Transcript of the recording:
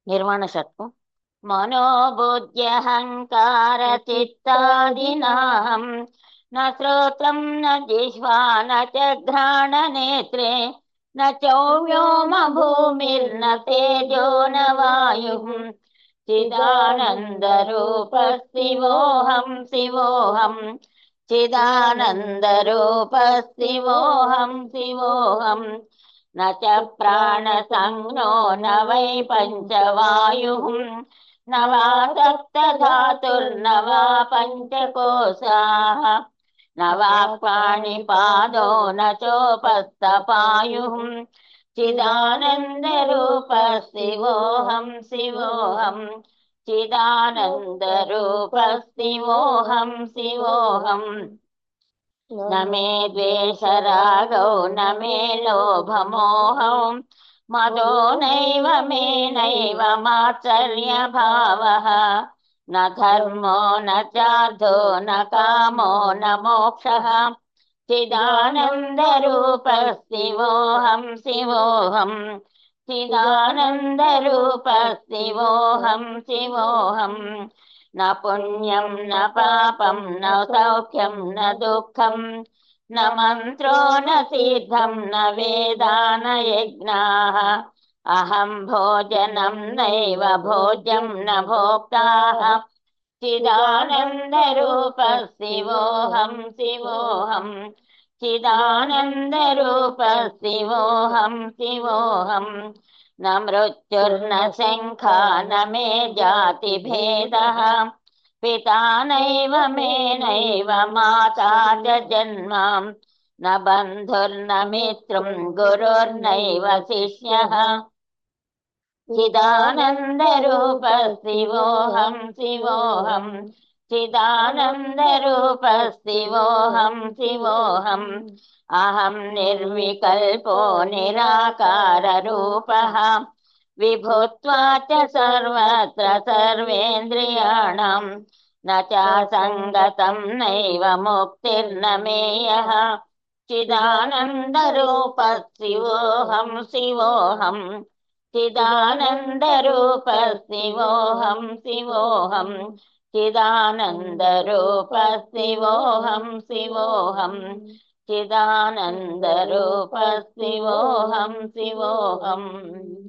निर्वाणषट्कं मनोबुद्ध्यहङ्कारचित्तादीनां न श्रोत्रं न जिह्वा न च घ्राणनेत्रे न चौव्योम भूमिर्न तेजो न वायुः चिदानन्दरूपः शिवोऽहं शिवोऽहं चिदानन्दरूपः शिवोऽहं शिवोऽहं न च प्राणसंज्ञो न वै पञ्चवायुः न वा सप्तधातुर्न वा पञ्चकोशाः न वा पाणिपादो न चोपस्थपायुः चिदानन्दरूपः शिवोऽहं शिवोऽहं चिदानन्दरूपः शिवोऽहं शिवोऽहम् न मे द्वेषरागौ न मे लोभमोहौ मदो नैव मे नैव मात्सर्यभावः न धर्मो न चार्थो न कामो न मोक्षः चिदानन्दरूपः शिवोऽहं शिवोऽहं चिदानन्दरूपः शिवोऽहं शिवोऽहम् न पुण्यं न पापं न सौख्यं न दुःखं न मन्त्रो न सिद्धं न वेदा न यज्ञाः अहं भोजनं नैव भोज्यं न भोक्ताः चिदानन्दरूपः शिवोऽहं शिवोऽहं चिदानन्दरूपः शिवोऽहं शिवोऽहं न मृत्युर्न शङ्का न मे जातिभेदः पिता नैव मे नैव माता च जन्म न बन्धुर्न मित्रं गुरुर्नैव शिष्यः चिदानन्दरूपः शिवोऽहं शिवोऽहं चिदानन्दरूपः शिवोऽहं शिवोऽहम् अहं निर्विकल्पो निराकाररूपः विभुत्वा च सर्वत्र सर्वेन्द्रियाणां न चासङ्गतं नैव मुक्तिर्न मेयः चिदानन्दरूपः शिवोऽहं शिवोऽहं चिदानन्दरूपः शिवोऽहं शिवोऽहं चिदानन्दरूपः शिवोऽहं शिवोऽहं चिदानन्दरूपः शिवोऽहं शिवोऽहम्।